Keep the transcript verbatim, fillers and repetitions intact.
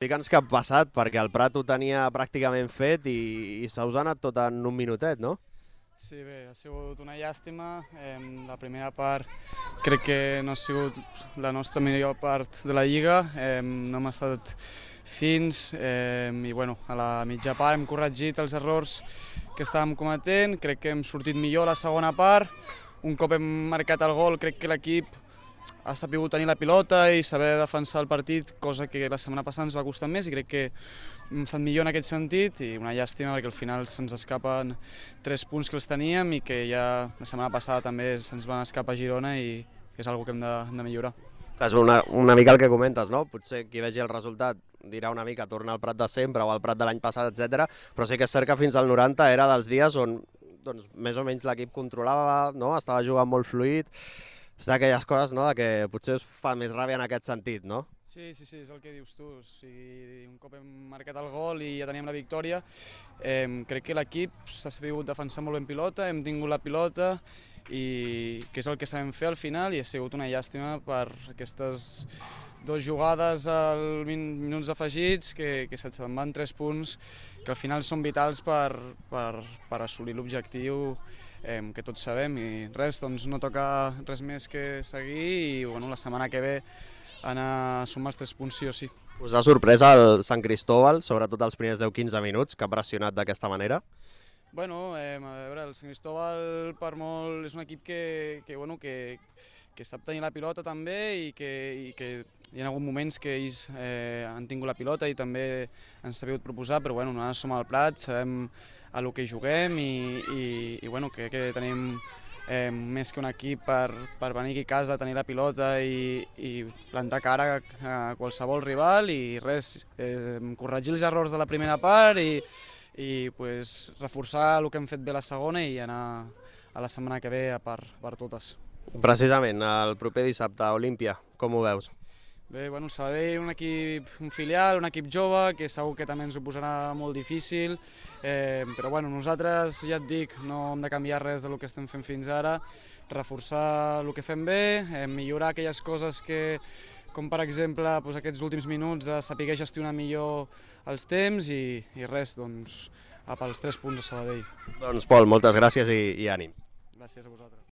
Digue'ns què ha passat, perquè el Prat ho tenia pràcticament fet i, i se us ha anat tot en un minutet, no? Sí, bé, ha sigut una llàstima. Eh, la primera part crec que no ha sigut la nostra millor part de la Lliga. Eh, no hem estat fins eh, i bueno, a la mitja part hem corregit els errors que estàvem cometent. Crec que hem sortit millor a la segona part. Un cop hem marcat el gol, crec que l'equip ha sabut tenir la pilota i saber defensar el partit, cosa que la setmana passada ens va costar més i crec que hem estat millor en aquest sentit i una llàstima perquè al final se'ns escapen tres punts que els teníem i que ja la setmana passada també se'ns van escapar a Girona i que és una cosa que hem de, hem de millorar. És una, una mica el que comentes, no? Potser qui vegi el resultat dirà una mica torna al Prat de sempre o al Prat de l'any passat, etcètera. Però sí que és cert que fins al noranta era dels dies on doncs, més o menys l'equip controlava, no? Estava jugant molt fluid. És d'aquelles coses, no?, de que potser us fa més ràbia en aquest sentit, no? Sí, sí, sí, és el que dius tu. O sigui, un cop hem marcat el gol i ja teníem la victòria, eh, crec que l'equip s'ha sabut defensar molt ben pilota, hem tingut la pilota i que és el que sabem fer al final i ha sigut una llàstima per aquestes dues jugades als minuts afegits que, que se'n van tres punts que al final són vitals per, per, per assolir l'objectiu eh, que tots sabem i res, doncs no toca res més que seguir i bueno, la setmana que ve anar a sumar els tres punts sí o sí. Us ha sorprès el Sant Cristóbal, sobretot els primers deu quinze minuts, que ha pressionat d'aquesta manera? Bueno, eh, a veure, el Sant Cristóbal per molt és un equip que, que, bueno, que, que sap tenir la pilota també i que, i que hi ha hagut moments que ells eh, han tingut la pilota i també han sabut proposar, però bueno, nosaltres som al Prat, sabem a lo que juguem i, i, i bueno, crec que tenim eh, més que un equip per, per venir aquí a casa, tenir la pilota i, i plantar cara a qualsevol rival i res, eh, corregir els errors de la primera part i i pues, reforçar el que hem fet bé la segona i anar a la setmana que ve a per, per totes. Precisament, el proper dissabte a Olímpia, com ho veus? Bé, bueno, el Sabadell, un equip un filial, un equip jove, que segur que també ens ho posarà molt difícil, eh, però bueno, nosaltres, ja et dic, no hem de canviar res del que estem fent fins ara, reforçar el que fem bé, eh, millorar aquelles coses que, com per exemple doncs, aquests últims minuts, de saber gestionar millor els temps i, i res, doncs, pels tres punts a Sabadell. Doncs Pol, moltes gràcies i, i ànim. Gràcies a vosaltres.